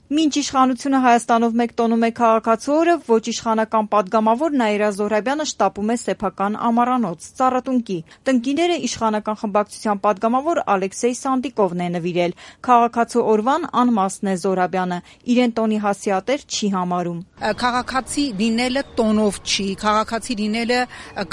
Մինչ իշխանությունը Հայաստանով մեկ տոնում է քաղաքացու օրը, ոչ իշխանական պատգամավոր Նաիրա Զոհրաբյանը շտապում է սեփական ամառանոց Ծառատունկի։ Տնկիները իշխանական խմբակցության պատգամավոր Ալեքսեյ Սանդիկովն է նվիրել։ Քաղաքացու օրվան անմասն է Զոհրաբյանը, իրեն տոնի հասցեատեր չի համարում։ Քաղաքացի լինելը տոնով չի, քաղաքացի լինելը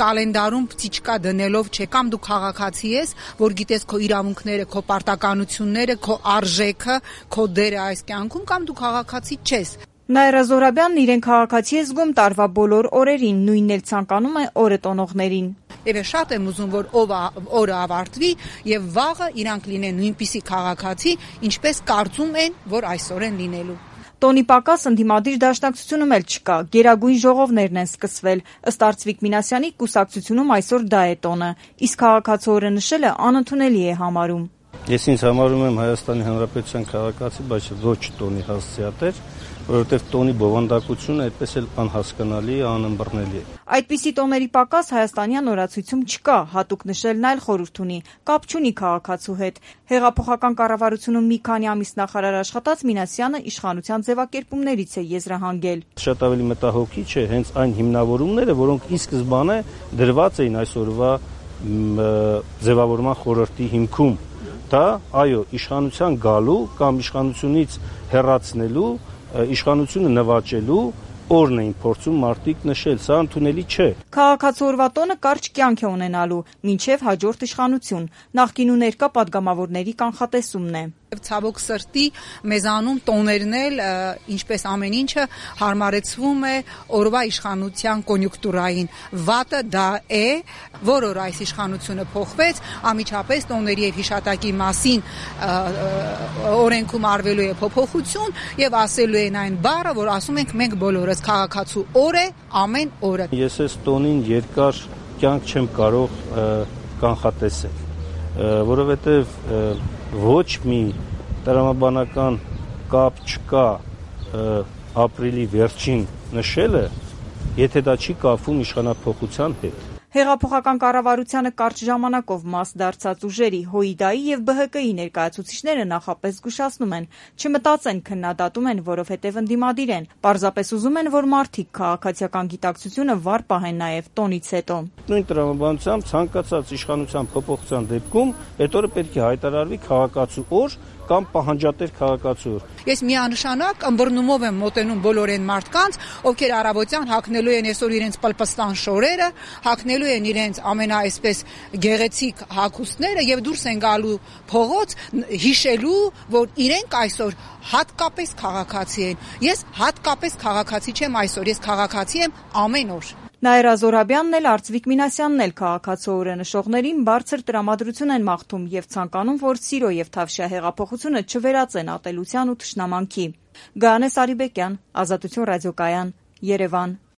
կալենդարում պտիչկա դնելով չէ, կամ դու քաղաքացի ես, որ գիտես քո իրավունքները, քո պարտականությունները, քո արժեքը, քո դերը այս կյանքում, կամ դու քաղաքացի չես։ Նաիրա Զոհրաբյանն իրեն քաղաքացի է զգում տարվա բոլոր օրերին, նույնն էլ ցանկանում է օրը տոնողներին։ Եվ շատ եմ ուզում, որ օրը ավարտվի եւ վաղը իրանք լինեն նույնպիսի քաղաքացի, ինչպես կարծում են, որ այսօր են լինելու։ Տոնի պակաս ընդդիմադիր դաշնակցությունում էլ չկա, գերագույն ժողովներն են սկսվել, ըստ Արծվիկ Մինասյանի կուսակցությունում այսօր դա է տոնը, իսկ քաղաքացու օրը նշելը անընդունելի է համարում։ Ես ինձ համարում եմ Հայաստանի Հանրապետության քաղաքացի, բայց ոչ տոնի հասցեատեր, որովհետև տոնի բովանդակությունը այդպես էլ անհասկանալի է, անըմբռնելի է։ Այդպիսի տոների պակաս հայաստանյան օրացույցում չկա, հատուկ նշելն այլ խորհուրդ ունի, կապ չունի քաղաքացու հետ։ Հեղափոխական կառավարությունում մի քանի ամիս նախարար աշխատած Մինասյանը իշխանության ձևակերպումներից է եզրահանգել։ Շատ ավելի մտահոգիչ է հենց այն հիմնավորումները, որոնք ի սկզբանե դրված էին այսօրվա ձևավորման խորհրդի հիմքում։ Դա, այո, իշխանության գալու կամ իշխանությունից հեռացնելու, իշխանությունը նվաճելու օրն էին փորձում մարդիկ նշել, սա ընդունելի չէ։ Քաղաքացու օրվա տոնը կարճ կյանք է ունենալու, մինչև հաջորդ իշխանություն, նախկին ու ներկա պատգամավորների կանխատեսումն է։ Ցավոք սրտի մեզանում տոներն էլ, ինչպես ամեն ինչը, հարմարեցվում է օրվա իշխանության կոնյունկտուրային։ Վատը դա է, որ օր այս իշխանությունը փոխվեց, անմիջապես տոների եւ հիշատակի մասին օրենքում արվելու է փոփոխություն եւ ասելու են այն բառը, որ ասում ենք մենք բոլորս քաղաքացու օր է ամեն օրը։ Ես այս տոնին երկար կյանք չեմ կարող կանխատեսել, որովհետեւ ոչ մի տրամաբանական կապ չկա ապրիլի վերջին նշելը, եթե դա չի կապվում իշխանափոխության հետ։ Հեղափոխական կառավարությանը կարճ ժամանակով մաս դարձած ուժերի, ՀՅԴ-ի եւ ԲՀԿ-ի ներկայացուցիչները նախապես զգուշացնում են, չմտածեն քննադատում են, որովհետեւ ընդդիմադիր են, պարզապես ուզում են, որ մարդիկ քաղաքացիական գիտակցությունը վառ պահեն նաեւ տոնից հետո։ Նույն տրամաբանությամբ ցանկացած իշխանության փոփոխության դեպքում այդ օրը պետք է հայտարարվի քաղաքացու օր կամ պահանջատեր քաղաքացու օր։ Ես միանշանակ ըմբռնումով եմ մոտենում բոլոր այն մարդկանց, ովքեր առավոտյան հագնելու են այսօր իրենց պլպստան շորերը, հագնելու են իրենց ամենաայսպես գեղեցիկ հագուստները եւ դուրս են գալու փողոց հիշելու, որ իրենք այսօր հատկապես քաղաքացի են։ Ես հատկապես քաղաքացի չեմ այսօր, ես քաղաքացի եմ ամեն օր։ Նաիրա Զոհրաբյանն էլ Արծվիկ Մինասյանն էլ քաղաքացու օրը նշողներին բարձր տրամադրություն են մաղթում եւ ցանկանում, որ սիրո եւ թավշյա հեղափոխությունը չվերածեն ատելության ու թշնամանքի։ Գայանե Սարիբեկյան, Ազատություն ռադիոկայան, Երևան։